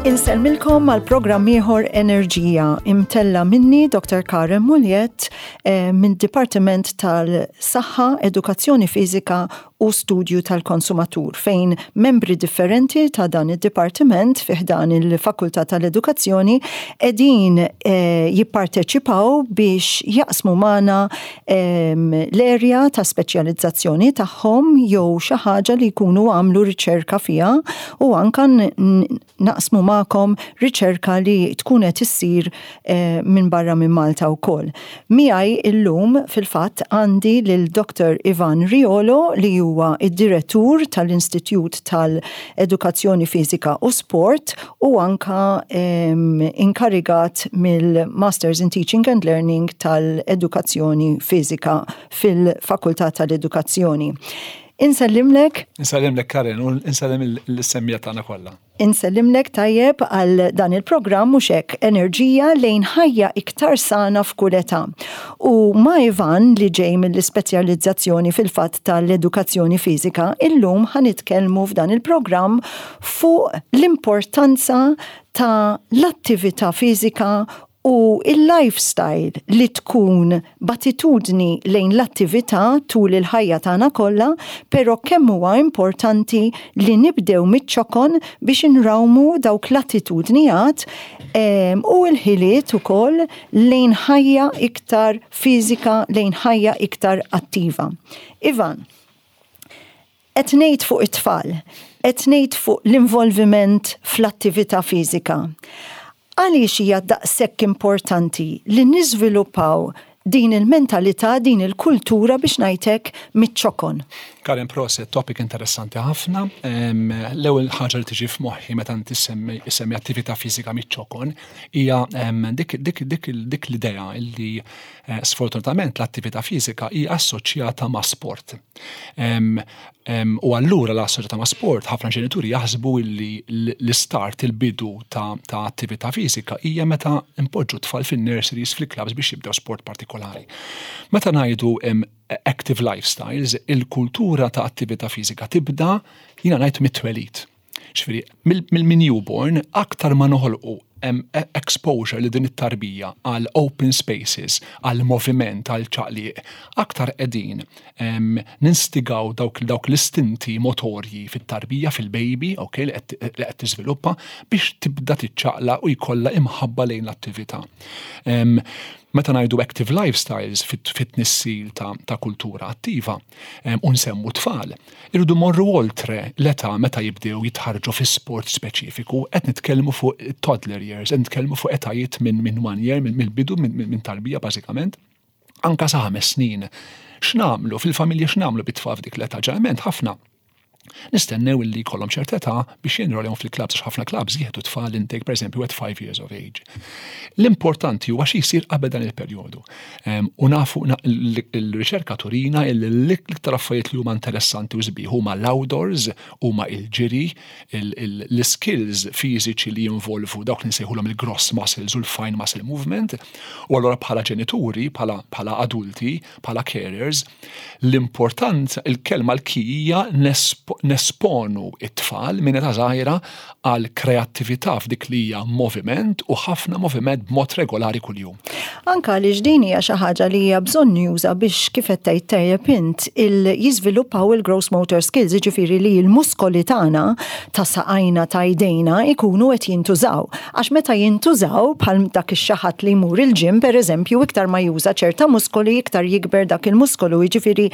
Insellmilkom għal programm ieħor Enerġija imtella minni Dr. Karen Muljet eh, minn Dipartiment tal-Saħħa, Edukazzjoni Fiżika u Studju tal-Konsumatur fejn membri differenti ta' dan id-dipartiment fi ħdan il-Fakultà tal-Edukazzjoni qegħdin eh, jipparteċipaw biex jaqsmu magħna ehm, l-erja ta' speċjalizzazzjoni tagħhom jew xi ħaġa li jkunu għamlu riċerka fiha u anka naqsmu magħkom riċerka li tkun qed issir eh, minn barra minn Malta wkoll. Miegħi illum fil-fatt għandi lil Dr. Ivan Riolo li huwa id-direttur tal-Istitut tal-Edukazzjoni Fiżika u Sport u anka ehm, inkarigat mill-Masters in Teaching and Learning tal-Edukazzjoni Fiżika fil-Fakultà tal-Edukazzjoni. Insellimlek. Insellimlek Karen u insellem l-semmija tagħna kollha. Insellimlek tajjeb għal dan il-programm mhux hekk enerġija lejn ħajja iktar sana f'kull età. U ma' Ivan li ġej mill-ispeċjalizzazzjoni fil-fatt tal-edukazzjoni fiżika, illum ħa nitkellmu f'dan il-programm fuq l-importanza ta' l-attività fiżika u il-lifestyle li tkun b'attitudni lejn l-attività tul il-ħajja tagħna kollha, però kemm huwa importanti li nibdew miċ-ċokon biex inrawmu dawk l-attitudnijat ehm, u l-ħiliet ukoll lejn ħajja iktar fiżika, lejn ħajja iktar attiva. Ivan, qed ngħid fuq it-tfal, qed ngħid fuq l-involviment fl-attività fiżika. Għaliex hija daqshekk importanti li niżviluppaw din il-mentalità, din il-kultura biex ngħid hekk miċ-ċokon? Karen proset, topic interessanti ħafna. L-ewwel ħaġa li tiġi f'moħħi meta inti ssemmi attività fiżika miċ-ċokon hija dik dik dik dik l-idea li eh, sfortunatament l-attività fiżika hija assoċjata ma' sport. U allura l-assoċjata ma' sport, ħafna ġenituri jaħsbu li l-istart, il-bidu ta' attività fiżika hija meta npoġġu tfal fin-nurseries, fil-clubs biex jibdew sport partikolari. Meta ngħidu active lifestyles, il-kultura ta' attività fiżika tibda jiena ngħid mit-twelid. Ġifieri, mill-newborn aktar ma noħolqu e, exposure li din it-tarbija għal open spaces, għal moviment, għal ċaqliq, aktar qegħdin ninstigaw dawk, dawk l-istinti motorji fit-tarbija, fil-baby, ok, li qed tiżviluppa biex tibda tiċċaqla u jkollha imħabba lejn l-attività. Meta ngħidu active lifestyles fit-tnissil ta', ta kultura attiva u nsemmu tfal, Irridu mmorru oltre l-età meta jibdew jitħarrġu fi sport speċifiku, qed nitkellmu fuq toddler years, qed nitkellmu fuq etajiet minn min one year, mill-bidu, minn tarbija bażikament, anka sa ħames snin. X'nagħmlu fil-familja x'nagħmlu bit-tfal f'dik l-età? Ġeneralment ħafna nistennew illi jkollhom ċerta età biex jinrolhom fil-clubs, għax ħafna clubs jieħdu tfal intake pereżempju at 5 years of age. L-importanti huwa xi jsir qabel dan il-perjodu. U nafu l-riċerka turina li l-iktar affarijiet li huma interessanti u sbieħ huma l-outdoors, huma il-ġiri, l-skills fiżiċi li jinvolvu dawk li nsejħulhom il-gross muscles u l-fine muscle movement. U allura bħala ġenituri, bħala adulti, bħala carers, l-importanza, il-kelma l-key hija nesponu it-tfal minn età żgħira għal kreattività f'dik li hija moviment u ħafna moviment b'mod regolari kuljum. Anka għaliex din hija xi ħaġa li hija bżonnjuża biex kif qed tgħid tajjeb int il jiżviluppaw il-gross motor skills, jiġifieri li l-muskoli tagħna ta' saqajna ta' jdejna jkunu qed jintużaw. Għax meta jintużaw bħal dak ix-xi ħadd li jmur il-gym pereżempju iktar ma juża ċerta muskoli iktar jikber dak il-muskolu, jiġifieri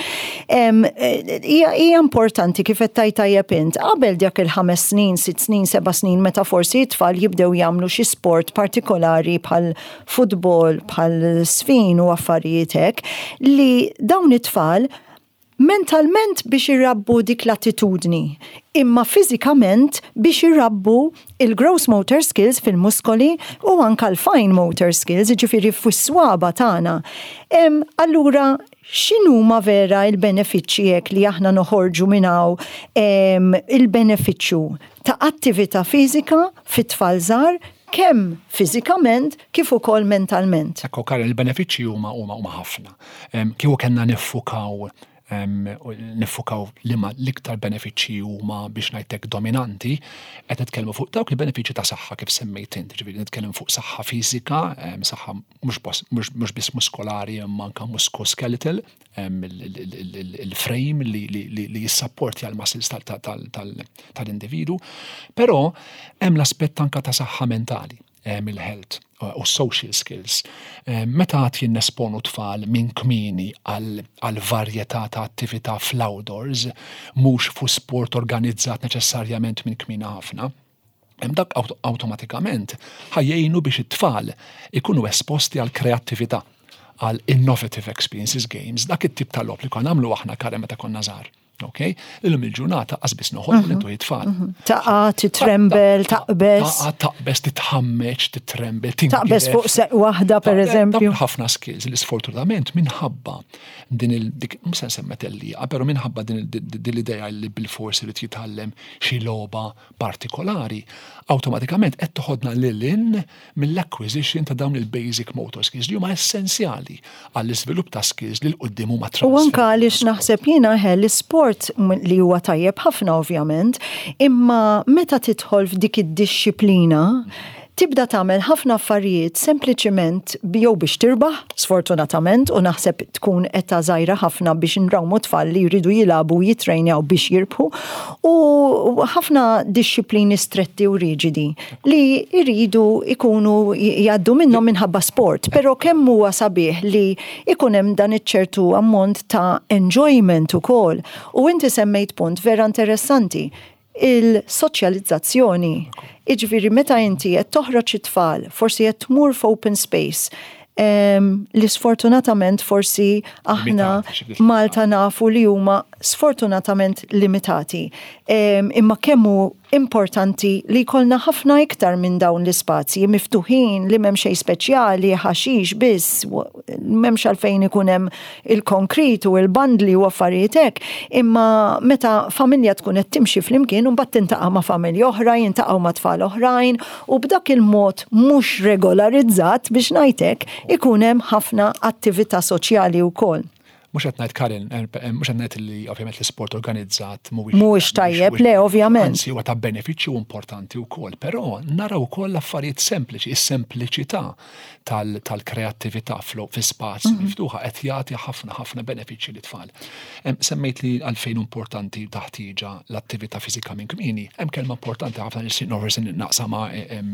hija importanti kif qed tgħid tajjeb int qabel dak il-ħames snin, sitt snin, seba' snin meta forsi t-tfal jibdew jagħmlu xi sport partikolari bħal futbol, bħal sfin u affarijiet hekk, li dawn it-tfal. Mentalment biex irabbu dik l-attitudni, imma fiżikament biex irabbu il-gross motor skills fil-muskoli u anka l-fine motor skills, jiġifieri fis-swaba' tagħna. Allura x'inhuma vera l-benefiċċji hekk li aħna noħorġu minn hawn il-benefiċċju ta' attività fiżika fit-tfal żgħar kemm fiżikament kif ukoll mentalment? Ekku Karen, il-benefiċċji huma huma huma ħafna. Kieku kellna niffukaw niffukaw liema l-iktar benefiċċji huma biex ngħidlek dominanti, qed nitkellmu fuq dawk il-benefiċċji ta' saħħa kif semmejt int, ġifieri nitkellem fuq saħħa fiżika, saħħa mhux biss muskolari imma anke musculoskeletal, il-frame li jissapportja l-muscles tal-individu, però hemm l-aspett anke ta' saħħa mentali, il-health u social skills. Meta għad jinnesponu tfal minn kmieni għal varjetà ta' attività fl-outdoors, mhux fu sport organizzat neċessarjament minn kmieni ħafna, dak awtomatikament ħa jgħinu biex it-tfal ikunu esposti għal kreattività, għal innovative experiences games, dak it-tip ta' logħob li konna nagħmlu aħna Karen meta konna żgħar. Ok? Illum il-ġurnata qas biss noħolmu li intu tfal. Taqa, titrembel, taqbeż. Taqa, taqbeż, titħammeġ, titrembel, Taqbeż fuq seq waħda, per eżempju. Ħafna skills li sfortunatament minħabba din il-dik, mhux se nsemmi tellieqa, però minħabba din l-idea li bil-forsi li jitgħallem xi logħba partikolari, awtomatikament qed toħodna lil hinn mill-acquisition ta' dawn il-basic motor skills li huma essenzjali għall-iżvilupp ta' skills li 'l quddiem huma U anka għaliex naħseb jiena l-isport li huwa tajjeb ħafna ovvjament, imma meta tidħol f'dik id-dixxiplina, tibda tagħmel ħafna affarijiet sempliċiment jew biex tirbaħ, sfortunatament, u naħseb tkun età żgħira ħafna biex nrawmu tfal li jridu jilagħbu u jitrejnjaw biex jirbħu, u ħafna dixxiplini stretti u riġidi li jridu ikunu jgħaddu minnhom minħabba sport, però kemm huwa sabiħ li ikun hemm dan iċ-ċertu ammont ta' enjoyment ukoll. U inti semmejt punt vera interessanti, il-soċjalizzazzjoni. Iġifieri meta inti qed toħroġ it-tfal, forsi qed tmur f'open space, li sfortunatament forsi aħna Malta nafu li huma sfortunatament limitati. Imma kemm hu importanti li jkollna ħafna iktar minn dawn l-ispazji miftuħin li m'hemm xejn speċjali, ħaxix biss, m'hemmx għalfejn ikun hemm il-konkrit u il-bandli u affarijiet hekk, imma meta familja tkun qed timxi flimkien u mbagħad tintaqa' ma' familja oħra, jintaqgħu ma' tfal oħrajn u b'dak il-mod mhux regolarizzat biex ngħidlek ikun hemm ħafna attività soċjali wkoll. Mhux qed ngħid Karin, mhux qed ngħid li ovvjament l-isport organizzat mhuwiex Mhuwiex tajjeb, le ovvjament. Anzi huwa ta' benefiċċju importanti wkoll, però naraw ukoll affarijiet sempliċi, is-sempliċità tal-kreattività fi spazju miftuħa qed jagħti ħafna ħafna benefiċċji lit-tfal. Semmejt li għalfejn importanti taħtieġa l-attività fiżika minn kmieni, hemm kelma importanti ħafna li forsi naqsamha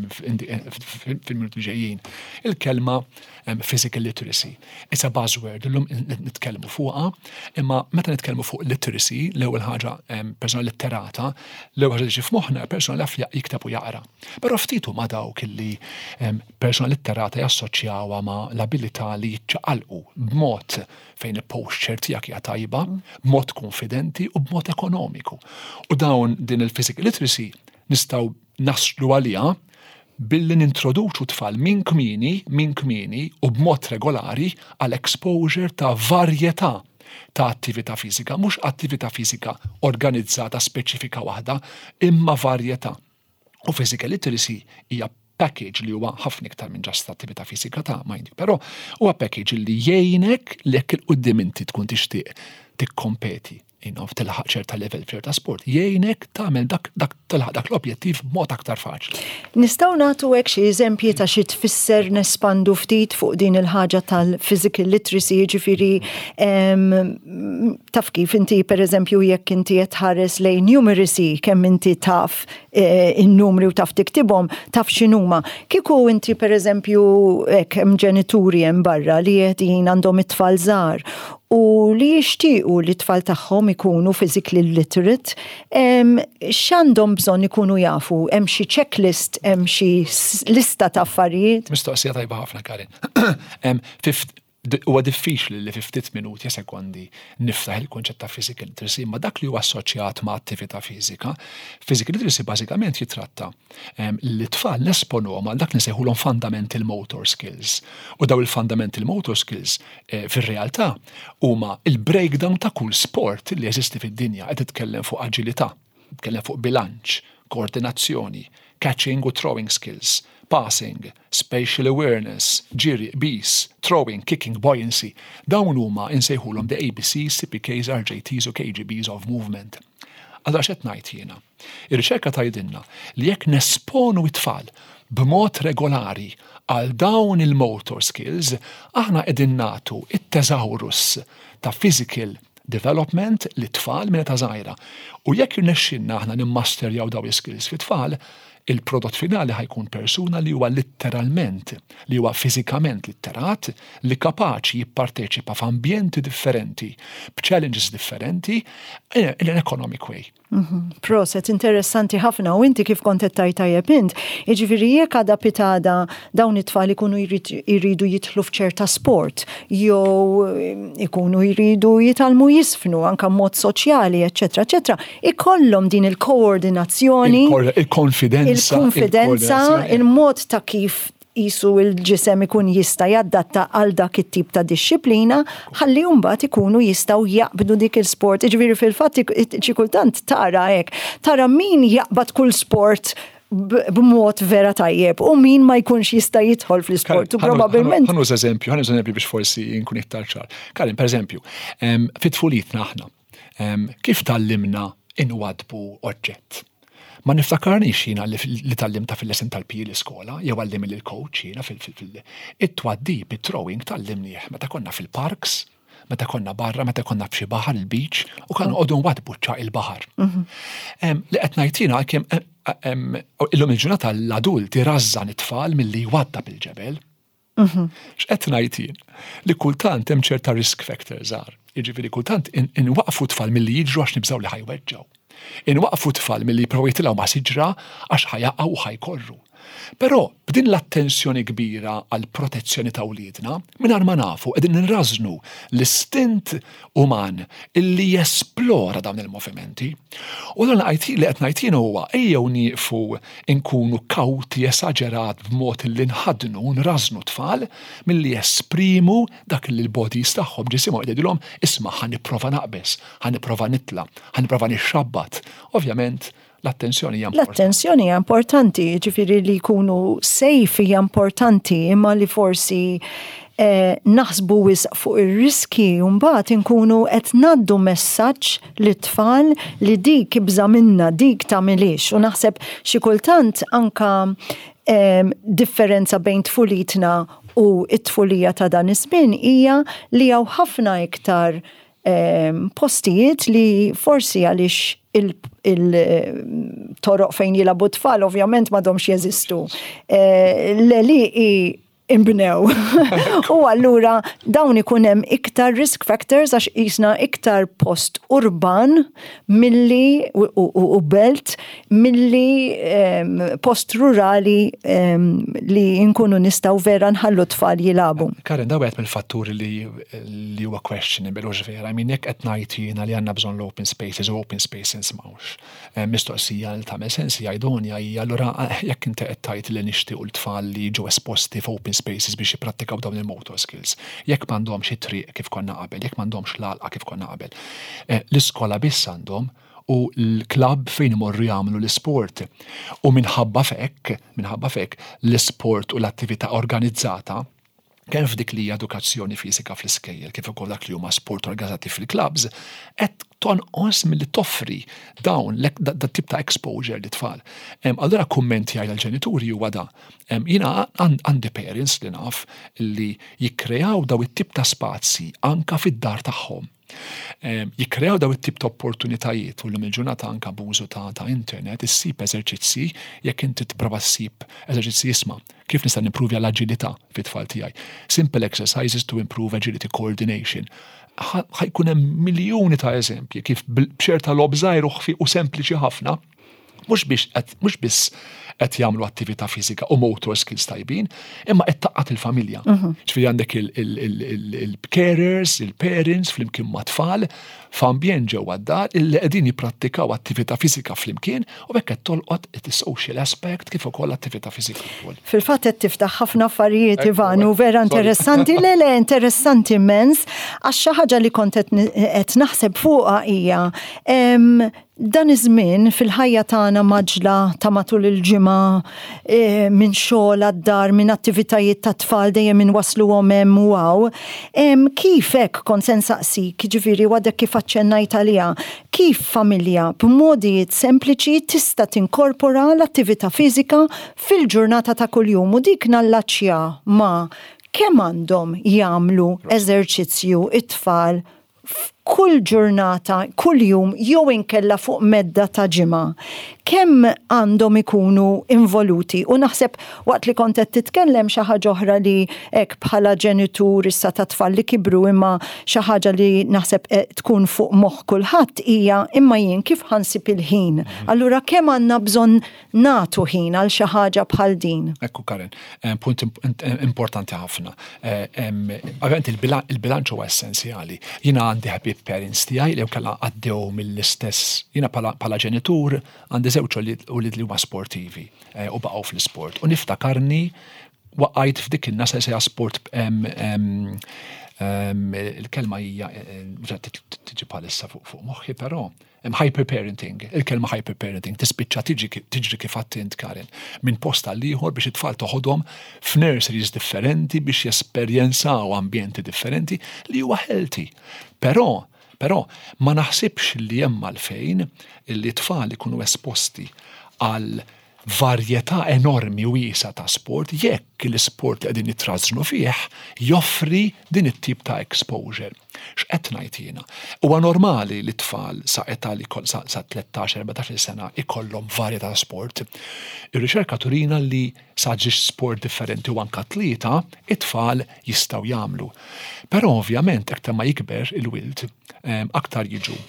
fil-minuti ġejjin. Il-kelma physical literacy. It's a buzzword, illum nitkellmu fuqha, imma meta nitkellmu fuq literacy, l-ewwel ħaġa persona litterata, l-ewwel ħaġa li f'moħħna persona li jaf jikteb u jaqra. Però ftit huma dawk li persona litterata jassoċjawha ma' l-abilità li jiċċaqalqu b'mod fejn il-posture tiegħek hija tajba, b'mod konfidenti u b'mod ekonomiku. U dawn din il-physical literacy nistgħu naslu għaliha billi nintroduċu tfal minn kmieni, minn kmieni u b'mod regolari għal exposure ta' varjetà ta' attività fiżika, mhux attività fiżika organizzata speċifika waħda, imma varjetà. U physical literacy hija package li huwa ħafna iktar minn just attività fiżika ta' mind you, però huwa package li jgħinek li jekk 'il quddiem inti tkun tixtieq tikkompeti tilħaq ċerta level f'ċerta sport, jgħinek tagħmel dak, dak tilħaq dak l-objettiv b'mod aktar faċli. Nistgħu nagħtu hekk xi eżempji ta' xi tfisser nespandu ftit fuq din il-ħaġa tal-physical literacy, jiġifieri taf kif inti pereżempju jekk inti qed tħares lejn numeracy kemm inti taf in-numri u taf tiktibhom, taf x'inhuma. Kieku inti pereżempju hekk hemm ġenituri hemm barra li qegħdin għandhom it-tfal żgħar u li jixtiequ li t-tfal tagħhom ikunu physically literate, x'għandhom bżonn ikunu jafu? Hemm xi checklist, hemm xi lista ta' affarijiet? Mistoqsija tajba ħafna, Karin. Huwa diffiċli li fi ftit minuti, sekondi, niftaħ il-kunċett ta' physical literacy, imma dak li huwa assoċjat ma' attività fiżika, physical literacy bażikament jitratta li t-tfal nesponuhom għal dak li nsejħulhom fundamental motor skills. U daw il-fundamental motor skills eh, fir-realtà huma il-breakdown ta' kull sport li jeżisti fid-dinja qed titkellem fuq aġilità, titkellem fuq bilanċ, koordinazzjoni, catching u throwing skills, passing, spatial awareness, ġiri, qbiż, throwing, kicking, buoyancy. Dawn huma insejħulhom the ABCs, CPKs, RJTs u KGBs of movement. Allura x'qed ngħid jiena? Ir-riċerka tgħidilna li jekk nesponu t-tfal b'mod regolari għal dawn il-motor skills, aħna qegħdin nagħtu it-teżawrus ta' physical development lit-tfal minn età żgħira. U jekk jirnexxilna aħna nimmasterjaw dawn l-iskills fit-tfal, il-prodott finali ħa jkun persuna li huwa litteralment, li huwa fiżikament litterat, li kapaċi jipparteċipa f'ambjenti differenti, b'challenges differenti, in an economic way. Mhm. Proset, interessanti ħafna u inti kif kont qed tgħid tajjeb int, jiġifieri jekk għada pitada dawn it-tfal ikunu jridu jidħlu f'ċerta sport jew eh, ikunu jridu jitgħallmu jisfnu anka mod soċjali, eċetera, eċetera, ikollhom din il-koordinazzjoni, il-konfidenza, il-konfidenza, il-mod ta' kif qisu l-ġisem ikun jista' jadatta għal dak it-tip ta' dixxiplina ħalli mbagħad ikunu jistgħu jaqbdu dik il-sport. Jiġifieri fil-fatt xi kultant tara hekk, tara min jaqbad kull sport b'mod vera tajjeb u min ma jkunx jista' jidħol fl-isport u probabbilment. Ħa nuża eżempju, ħa nuża eżempju biex forsi nkun iktar ċar. Karin, per eżempju, fit-tfulitna aħna, kif tgħallimna inwaddbu oġġett? Ma niftakarnix jiena li tgħallimtha fil-lesson tal-PE l-iskola, jew għallimni l-coach jiena fil- It-twaddib, it-throwing tgħallimnieh meta konna fil-parks, meta konna barra, meta konna f'xi baħar il-beach, u konna noqogħdu nwaddbu ċ-ċagħaq il-baħar. Li qed ngħid jiena kemm illum il-ġurnata l-adult irażżan it-tfal milli jwaddab il-ġebel. Mhm. X'qed ngħid jien? Li kultant hemm ċerta risk factors żgħar. Jiġifieri kultant inwaqfu tfal milli jiġru għax nibżgħu li ħa jweġġgħu. Inwaqfu tfal milli jipprovaw jitilgħu ma' siġra għax ħa jaqgħu u ħa jkorru. Però b'din l-attenzjoni kbira għal protezzjoni ta' wliedna, mingħajr ma nafu qegħdin nrażżnu l-istint uman illi jesplora dawn il-movimenti. U dan li qed ngħid jien huwa ejjew nieqfu nkunu kawti esaġerat b'mod illi nħaddnu u nrażżnu t-tfal milli jesprimu dak li l-bodies tagħhom, ġisimhom qed jgħidilhom isma' ħa nipprova naqbeż, ħa nipprova nitla', ħa nipprova nixxabbat. Ovvjament, L-attenzjoni hija importanti. L-attenzjoni hija importanti, jiġifieri li jkunu safe hija importanti, imma li forsi eh, naħsbu wisq fuq ir-riski u mbagħad inkunu qed ngħaddu messaġġ lit-tfal li dik ibża' minna, dik tagħmilhiex. U naħseb xi kultant anka eh, differenza bejn tfulitna u t-tfulija ta' dan iż-żmien hija li hawn ħafna iktar postijiet li forsi għaliex il-toroq fejn jilabu tfal ovvjament m'għadhomx jeżistu. Eh, l-għelieqi imbnew. U allura dawn ikun hemm iktar risk factors għax qisna iktar post urban milli u belt milli post rurali li nkunu nistgħu vera nħallu t-tfal jilagħbu. Karen, da wieħed mill-fatturi li li huwa questionable hux vera. I mean, jekk qed ngħid jiena li għandna bżonn l-open spaces u open spaces m'hawnx. Mistoqsija li tagħmel sens hija idonja hija allura jekk inti qed tgħid li nixtiequ l-tfal li jiġu esposti f'open spaces biex jipprattikaw dawn il-motor skills, jekk m'għandhomx it-triq kif konna qabel, jekk m'għandhomx l-għalqa kif konna qabel. L-iskola biss għandhom u l-klabb fejn imorru jagħmlu l-isport. U minħabba f'hekk, minħabba f'hekk, l-isport u l-attività organizzata, kemm f'dik li hija edukazzjoni fiżika fl-iskejjel kif ukoll dak li huma sport organizzati fil-klabbs, qed tonqos milli toffri dawn dat tip ta' exposure lit-tfal. Allura kumment tiegħi għall-ġenituri huwa da. Jiena għandi parents li naf li jikkreaw daw it-tip ta' spazji anka fid-dar tagħhom. Jikkreaw daw it-tip ta' opportunitajiet u llum il-ġurnata anka b'użu ta' ta' internet issib eżerċizzji jekk inti tipprova ssib eżerċizzji isma' kif nista' nimpruvja l-aġilità fit-tfal tiegħi. Simple exercises to improve agility coordination. Ħa jkun hemm miljuni ta' eżempji kif b'ċerta logħob żgħir u ħfiq u sempliċi ħafna. Mhux biex mhux biss qed jagħmlu attività fiżika u motor skills tajbin, imma qed taqgħad il-familja. Ġifieri għandek il-carers, il-parents flimkien ma' tfal f'ambjent ġewwa d-dar illi qegħdin jipprattikaw attività fiżika flimkien u hekk qed tolqot is-social aspect kif ukoll attività fiżika wkoll. Fil-fatt qed tiftaħ ħafna affarijiet Ivan u vera interessanti, le le interessanti immens għax xi ħaġa li kont qed naħseb fuqha hija Dan iż-żmien fil-ħajja tagħna mgħaġġla ta' matul il-ġimgħa, minn xogħol għad-dar, minn attivitajiet tat-tfal dejjem inwassluhom hemm u hawn, kif hekk kont se nsaqsik, jiġifieri u għadek kif aċċennajt għaliha, kif familja b'modijiet sempliċi tista' tinkorpora l-attività fiżika fil-ġurnata ta' kuljum u dik nallaċċja ma' kemm għandhom jagħmlu eżerċizzju t-tfal f'kull ġurnata, kuljum jew inkella fuq medda ta' ġimgħa, kemm għandhom ikunu involuti u naħseb waqt li kont qed titkellem xi ħaġa oħra li hekk bħala ġenitur issa ta' tfal li kibru imma xi ħaġa li naħseb tkun fuq moħħ kulħadd hija imma jien kif ħa nsib il-ħin? Allura kemm għandna bżonn nagħtu ħin għal xi ħaġa bħal din. Ekku Karen, eh, punt importanti ħafna. Eh, ovvjament il-bilanċ huwa essenzjali. Jiena għandi ħbieb parents tiegħi li kellha għaddew mill-istess, jiena bħala ġenitur għandi żewġ ulied li huma sportivi eh, u baqgħu fl-isport. U niftakarni waqajt f'dik in-nasa sejja sport il-kelma hija tiġi bħalissa fuq moħħi, però Hemm hyperparenting, il-kelma hyperparenting tispiċċa tiġi tiġri kif għedt int Karen, minn post għal ieħor biex it-tfal toħodhom f'nurseries differenti biex jesperjenzaw ambjenti differenti li huwa healthy. Però, però ma naħsibx li hemm għalfejn li t-tfal ikunu esposti għal varjetà enormi wiesgħa ta' sport jekk l-isport li qegħdin jitrażżnu fih joffri din it-tip ta' exposure. X'qed ngħid jiena? Huwa normali li t-tfal sa età li sa 13-14 sena ikollhom varjetà ta' sport. Ir-riċerka turina li sa ġiex sport differenti u anka tlieta, it-tfal jistgħu jagħmlu. Però ovvjament aktar ma jikber il-wild, eh, aktar jiġu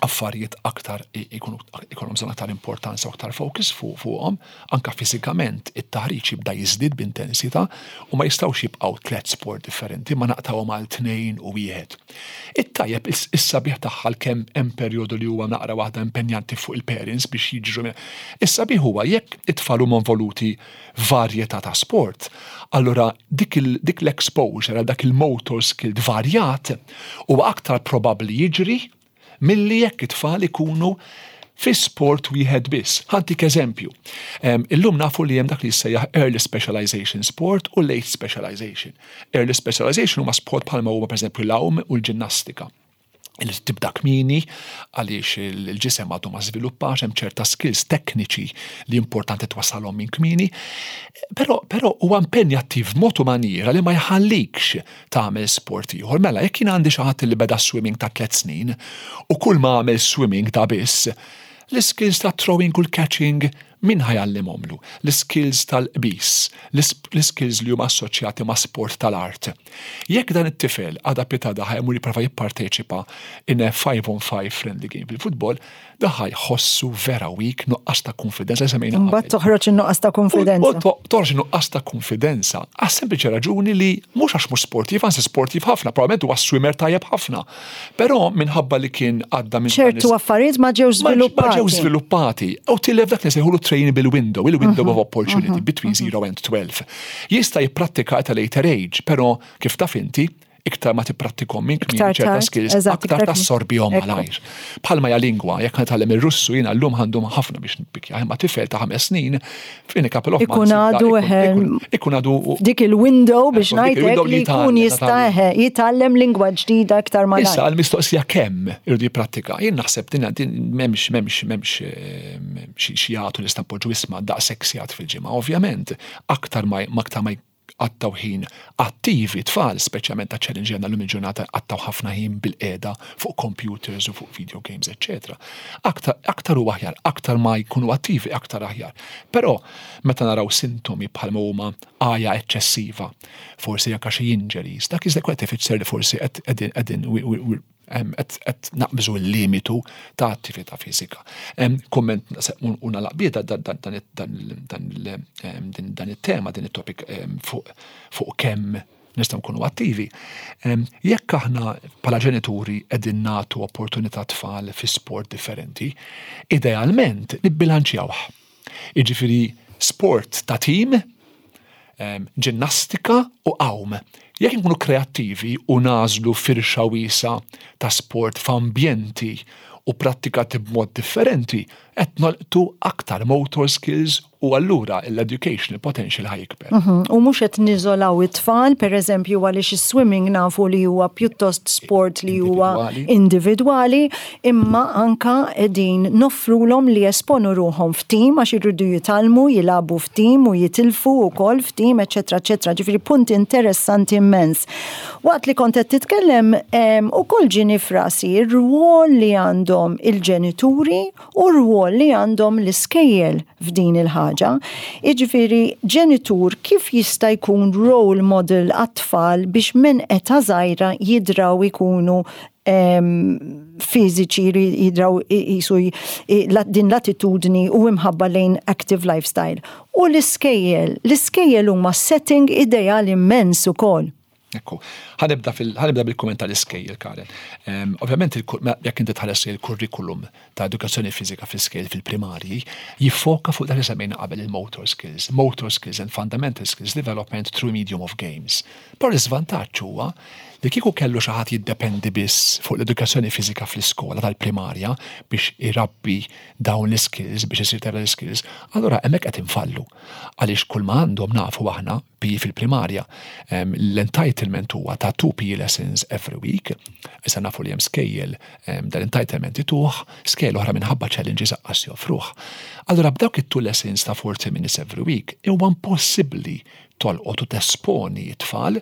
affarijiet aktar ikollhom bżonn aktar importanza u aktar focus fuqhom, anka fiżikament it-taħriġ jibda jiżdied b'intensità u ma jistgħux jibqgħu tliet sport differenti ma naqtawhom għal tnejn u wieħed. It-tajjeb is-sabiħ tagħha kemm hemm perjodu li huwa naqra waħda impenjanti fuq il-parents biex jiġru. Is-sabiħ huwa jekk it-tfal huma involuti varjetà ta' sport, allura dik l-exposure għal dak il-motor skill varjat huwa aktar probabbli jiġri milli jekk it-tfal ikunu fi sport wieħed biss. Ħa ntik eżempju. Illum nafu li hemm dak li jissejjaħ early specialization sport u late specialization. Early specialization huma sport bħalma huma pereżempju l-għawm u l-ġinnastika li tibda kmieni għaliex il-ġisem għadu ma żviluppax hemm ċerta skills tekniċi li importanti twassalhom minn kmieni. Però però huwa impenjattiv b'mod u maniera li ma jħallikx tagħmel sport ieħor. Mela jekk jien għandi xi ħadd li beda swimming ta' tliet snin u kull ma għamel swimming ta' biss, l-iskills ta' throwing u l-catching min ħa jgħallimhomlu? L-iskills tal-qbiż, l-iskills li huma assoċjati ma' sport tal-art. Jekk dan it-tifel għada pitgħada ħa jmur jipprova jipparteċipa in a 5 on 5 friendly game fil-futbol, da ħa jħossu vera weak, nuqqas ta' konfidenza li semmejna. Mbagħad toħroġ in-nuqqas ta' konfidenza. U toħroġ in-nuqqas ta' konfidenza għas sempliċi raġuni li mhux għax mhux sportiv, anzi sportiv ħafna, probabbilment huwa swimmer tajjeb ħafna. Però minħabba li kien għadda minn ċertu affarijiet ma ġewx żviluppati. Ma ġewx żviluppati. U tilef dak li sejħulu trainable window, il-window of opportunity between 0 and 12. Jista' jipprattika at a later age, però kif taf inti, iktar ma tipprattikhom minn kmieni ċerta skills, aktar tassorbihom malajr. Bħalma hija lingwa, jekk nitgħallem ir-Russu jiena llum għandhom ħafna biex npikja, imma tifel ta' ħames snin f'in a couple of Ikun għadu ikun għadu dik il-window biex ngħidlek li jkun jista' jitgħallem lingwa ġdida iktar malajr. Issa għall-mistoqsija kemm irridu jipprattika, jien naħseb din m'hemmx m'hemmx m'hemmx xi jagħtu nista' npoġġu isma' daqshekk sigħat fil-ġimgħa. Ovvjament, aktar ma aktar ma qattgħu ħin attivi tfal, speċjalment ta' challenge għandna llum il-ġurnata qattgħu ħafna ħin bil-qiegħda fuq computers u fuq video games, eċċetera. Aktar, aktar u aħjar, aktar ma jkunu attivi, aktar aħjar. Però meta naraw sintomi bħalma huma għaja eċċessiva, forsi anke xi injuries, dak iżda qed ifisser li forsi qegħdin Qed naqbżu l-limitu ta' attività fiżika. Kumment u nagħlaq bih dan it-tema, din it-topic fuq kemm nistgħu nkunu attivi. Jekk aħna bħala ġenituri qegħdin nagħtu opportunità tfal fi sport differenti, idealment nibbilanċjawh. Jiġifieri sport ta' tim, ġinnastika u għawm. Jekk inkunu kreattivi u nagħżlu firxa wiesgħa ta' sport f'ambjenti u prattikati b'mod differenti, qed nolqtu aktar motor skills u allura l-educational potential ħa jikber. U mhux qed niżolaw it-tfal, pereżempju għaliex is-swimming nafu li huwa pjuttost sport li huwa individwali, imma anka qegħdin noffrulhom li jesponu ruħhom f'tim għax irridu jitgħallmu jilagħbu f'tim u jitilfu wkoll f'tim, eċetera, eċetera. Ġifieri punt interessanti immens. Waqt li kont qed titkellem ukoll ġieni f'rasi r-rwol li għandhom il-ġenituri u r-rwol li għandhom l-iskejjel f'din il-ħaġa. Jiġifieri ġenitur kif jista' jkun role model għat-tfal biex minn età żgħira jidraw ikunu fiżiċi, jidraw jisu din l-attitudni u imħabba lejn active lifestyle. U l-iskejjel, l-iskejjel huma setting ideali immens ukoll. Ekku, ħanibda bil-kumment tal-iskejjel, Karen. Ovvjament, jekk inti tħares il-kurrikulum ta' edukazzjoni fiżika fl-iskejjel fil-primarji, jiffoka fuq dak li semmejna qabel il-motor skills, motor skills and fundamental skills development through medium of games. Però l-iżvantaġġ huwa li kieku kellu xi ħadd jiddependi biss fuq l-edukazzjoni fiżika fl-iskola tal-primarja biex irabbi dawn l-skills, biex isir tara l-skills, allura hemmhekk qed infallu. Għaliex kull ma għandhom nafu aħna PE fil-primarja, l-entitlement huwa ta' 2 PE lessons every week. Issa nafu li hemm skejjel dal-entitlement ituh, skejjel oħra minħabba challenges aqqas joffruh. Allura b'dawk it-2 lessons ta' 40 minutes every week huwa impossibbli tolqot u tesponi t-tfal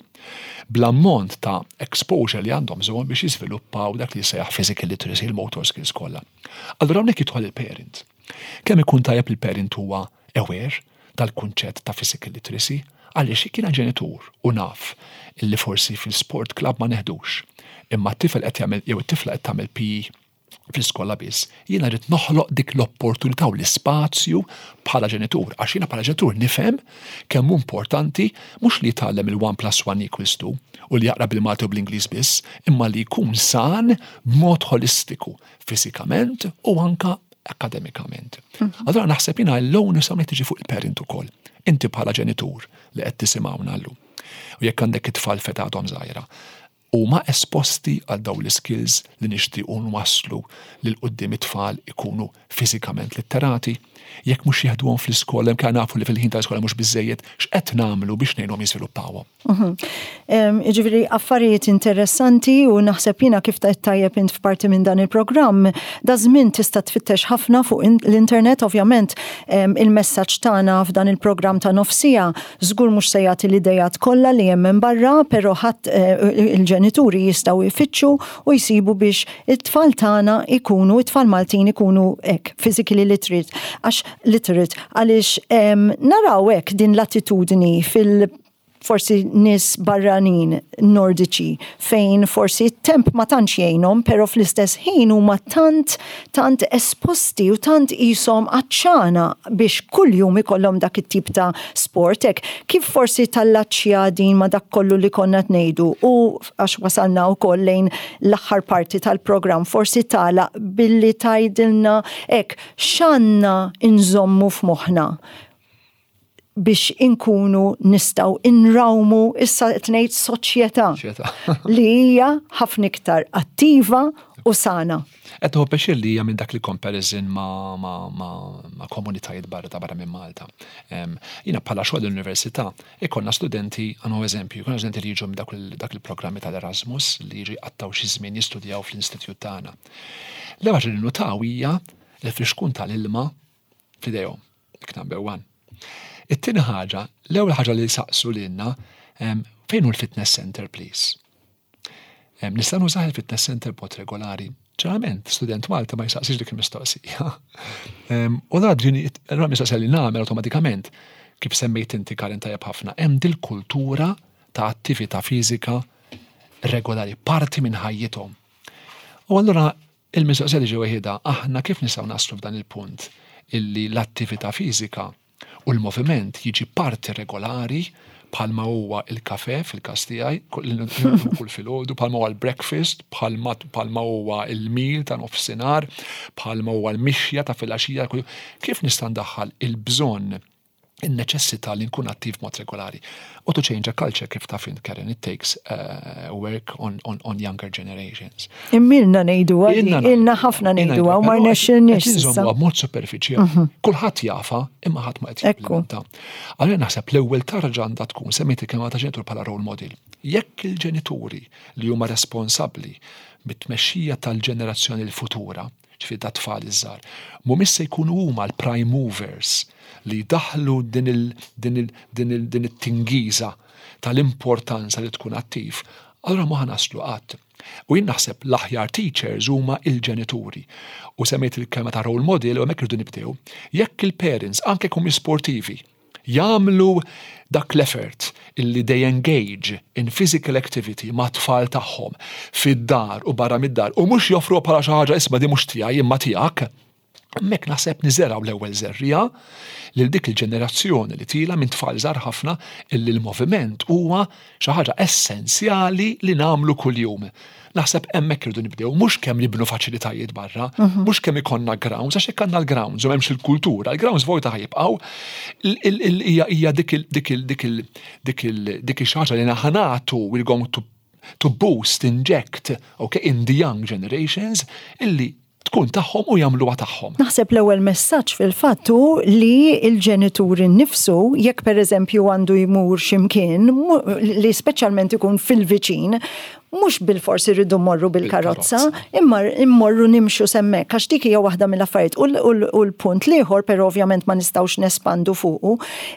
bl-ammont ta' exposure li għandhom bżonn biex jiżviluppaw dak li jissejjaħ physical literacy, il-motor skills kollha. Allura hawnhekk jidħol il-parent. Kemm ikun tajjeb il-parent huwa aware tal-kunċett ta' physical literacy, għaliex jekk jiena ġenitur u naf illi forsi fil-sport club ma neħdux, imma t-tifel qed jagħmel jew it-tifla qed tagħmel PE fl-iskola biss, jiena rrid noħloq dik l-opportunità u l-ispazju bħala ġenitur, għax jiena bħala ġenitur nifhem kemm hu importanti mhux li jitgħallem il-1 plus 1 equals 2 u li jaqra bil-Malti u bl-Ingliż biss, imma li jkun san b'mod holistiku, fiżikament u anka akademikament. Allura naħseb jiena l-onus hawnhekk tiġi fuq il-parent ukoll. Inti bħala ġenitur li qed tisimgħuna llum. U jekk għandek it-tfal f'età għadhom żgħira, huma esposti għal dawn l-iskills li nixtiequ nwasslu lil quddiem it-tfal ikunu fiżikament litterati, jekk mhux jeħduhom fl-iskola, imkien nafu li fil-ħin tal-iskola mhux biżżejjed, x'qed nagħmlu biex ngħinuhom jiżviluppawhom. Jiġifieri affarijiet interessanti u naħseb jiena kif tajt tajjeb int f'parti minn dan il-programm, da żmien tista' tfittex ħafna fuq l-internet, ovvjament il-messaġġ tagħna f'dan il-programm ta' nofsija żgur mhux se jagħti l-idejat kollha li hemm hemm barra, però ħadd eh, il-ġenituri jistgħu jfittxu u jsibu biex it-tfal tagħna ikunu, it-tfal Maltin ikunu hekk, physically literate, għax literate, għaliex naraw hekk din l-attitudni fil- forsi nies barranin nordiċi fejn forsi t-temp ma tantx jgħinhom, però fl-istess ħin huma tant tant esposti u tant qishom għatxana biex kuljum ikollhom dak it-tip ta' sport hekk. Kif forsi tallaċċja din ma' dak kollu li konna qed ngħidu u għax wasalna wkoll lejn l-aħħar parti tal-programm forsi tagħlaq billi tgħidilna hekk x'għandna nżommu f'moħħna biex inkunu nistgħu inrawmu issa qed ngħid soċjetà li hija ħafna iktar attiva u sana. Qed nieħu pjaċir li hija minn dak il-comparison ma', ma, ma, ma komunitajiet barra ta' barra minn Malta. Jiena bħala xogħol l-università ikollna studenti, għanu eżempju, ikollna studenti li jiġu minn dak il-programmi tal-Erasmus li jiġu jqattgħu xi żmien jistudjaw fl-istitut tagħna. L-ewwel ħaġa li nutaw hija l-frixkun tal-ilma f'idejhom. Dik number one. It-tieni ħaġa, l-ewwel ħaġa li saqsu lilna, fejn hu l-fitness center please? Nista' nużah il-fitness center b'mod regolari. Ġeneralment, student Malti ma jsaqsix dik il-mistoqsija. U da ġini, allura mistoqsija li nagħmel awtomatikament, kif semmejt inti Karin tajjeb ħafna, hemm dil-kultura ta' attività fiżika regolari, parti minn ħajjithom. U allura il-mistoqsija li ġew waħedha, aħna kif nistgħu naslu f'dan il-punt illi l-attività fiżika u l-moviment jiġi parti regolari bħalma huwa il-kafe fil-każ tiegħi, kull filgħodu, bħalma huwa l-breakfast, bħalma huwa il-meal ta' nofsinhar, bħalma huwa l-mixja ta' filgħaxija, kif nista' ndaħħal il-bżonn, in-neċessità li nkun attiv mod regolari? U to change a culture, kif taf int, Karen, it takes work on younger generations. Ilna ngħidu, ilna ħafna ngħidu, u ma rnexxilniex. Inżommu b'mod superfiċjali. Kulħadd jafha, imma ħadd ma qed jimplementa. Allura naħseb l-ewwel tarġa għandha tkun, semmejt il-kelma ta' ġenitur bħala role model. Jekk il-ġenituri li huma responsabbli bit-tmexxija tal-ġenerazzjoni l-futura, ġifieri ta' tfal iż-żgħar, mhumiex se jkunu huma l-prime movers li jdaħlu din it-tingiża tal-importanza li tkun attiv, allura ma naslu qatt. U jien naħseb l-aħjar teachers huma il-ġenituri. U semmejt il-kelma ta' role model u hemmhekk irridu nibdew. Jekk il-parents, anke jkunu sportivi, jagħmlu dak l-effort illi they engage in physical activity ma' tfal tagħhom fid-dar u barra mid-dar u mhux joffru bħala xi ħaġa, "Isma', di mhux tiegħi imma tiegħek", hemmhekk naħseb niżergħu l-ewwel żerriegħa lil dik il-ġenerazzjoni li tielgħa minn tfal żgħar ħafna illi l-moviment huwa xi ħaġa essenzjali li nagħmlu kuljum. Naħseb hemmhekk irridu nibdew, mhux kemm nibnu faċilitajiet barra, mhux kemm ikollna grounds, għax jekk għandna l-grounds u m'hemmx il-kultura, il-grounds vojta ħa jibqgħu. Hija dik ix-xi ħaġa li ħa nagħtu, we're going to boost, inject, okay, in the young generations, illi tkun tagħhom u jagħmluha tagħhom. Naħseb l-ewwel messaġġ fil-fatt hu li l-ġenituri nnifsu, jekk pereżempju għandu jmur x'imkien li speċjalment ikun fil-viċin, mhux bilfors irridu mmorru bil-karozza, imma immorru nimxu s'hemmhekk, għax dik hija waħda mill-affarijiet. U l-punt l-ieħor, però ovvjament ma nistgħux nespandu fuqu,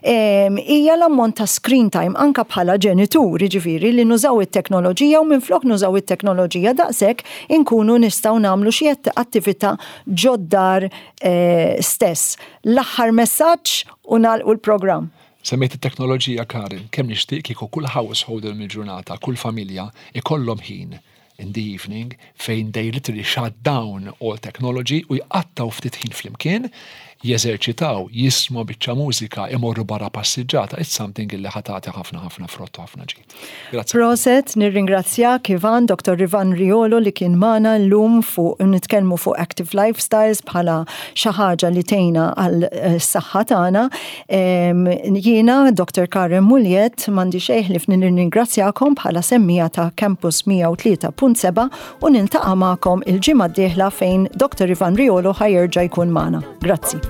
hija l-ammont ta' screen time anka bħala ġenituri, ġifieri li nużaw it-teknoloġija u minflok nużaw it-teknoloġija daqshekk inkunu nistgħu nagħmlu xi attività ġod-dar stess. L-aħħar messaġġ u nagħlqu l-programm. Semmejt it-teknoloġija, Karin, kemm nixtieq kieku kull household mill-ġurnata, kull familja ikollhom ħin in the evening fejn they literally shut down all technology u jqattaw ftit ħin flimkien, jeżerċitaw, jismu biċċa mużika, imorru barra passiġġata, it's something illi ħa tagħti ħafna ħafna frott u ħafna ġid. Grazzi. Prosit, nirringrazzjak Ivan, Dr. Ivan Riolo, li kien magħna llum fuq nitkellmu fuq active lifestyles bħala xi ħaġa li tgħinna għal saħħa tagħna. Jiena Dr. Karen Mugliett, m'għandi xejn ħlief nirringrazzjakom bħala semmiegħa ta' Campus 103.7 u niltaqa' magħkom il-ġimgħa d-dieħla fejn Dr. Ivan Riolo ħa jerġa' jkun magħna. Grazzi.